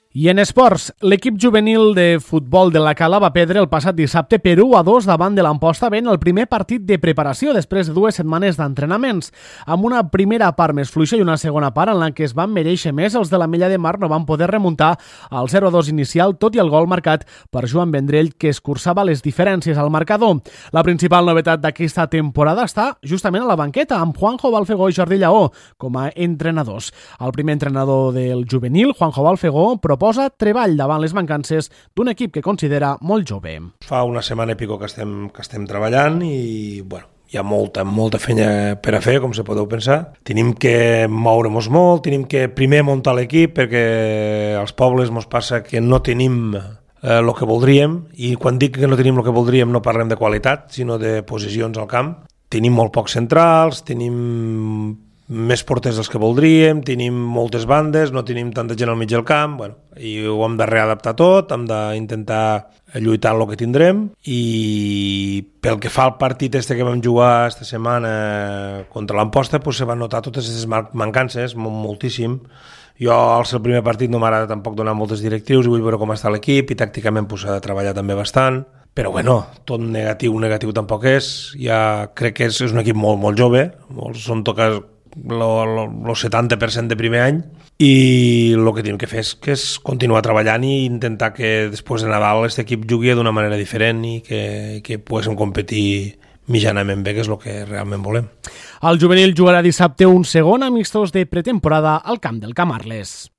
I en esports, l'equip juvenil de futbol de la Cala va perdre el passat dissabte per 1-2 davant de l'Amposta Ben el primer partit de preparació després de 2 setmanes d'entrenaments. Amb una primera part més fluixa i una segona part en la que es van mereixer més, els de la Mella de Mar no van poder remuntar al 0-2 inicial, tot i el gol marcat per Joan Vendrell, que escurçava les diferències al marcador. La principal novetat d'aquesta temporada està justament a la banqueta, amb Juanjo Balfegó i Jordi Lleó com a entrenadors. El primer entrenador del juvenil, Juanjo Balfegó, proposa treball davant les mancances d'un equip que considera molt jove. Fa una setmana i pico que estem treballant i hi ha molta feina per a fer, com se podeu pensar. Tenim que moure'ns molt, tenim que primer muntar l'equip perquè als pobles ens passa que no tenim el que voldríem, i quan dic que no tenim el que voldríem no parlem de qualitat, sinó de posicions al camp. Tenim molt pocs centrals, tenim més porters dels que voldríem, tenim moltes bandes, no tenim tanta gent al mig del camp, i ho hem de readaptar tot, hem d'intentar lluitar en el que tindrem, i pel que fa al partit que vam jugar esta setmana contra l'Amposta, se van notar totes aquestes mancances, moltíssim. Jo al ser el primer partit no m'agrada tampoc donar moltes directrius i vull veure com està l'equip, i tàcticament s'ha de treballar també bastant. Però tot negatiu tampoc és. Ja crec que és un equip molt jove, són toques el 70% de primer any, i el que tenim que fer és continuar treballant i intentar que després de Nadal aquest equip jugui d'una manera diferent i que poguéssim competir mitjanament bé, que és el que realment volem. El juvenil jugarà dissabte un segon amistós de pretemporada al camp del Camarles.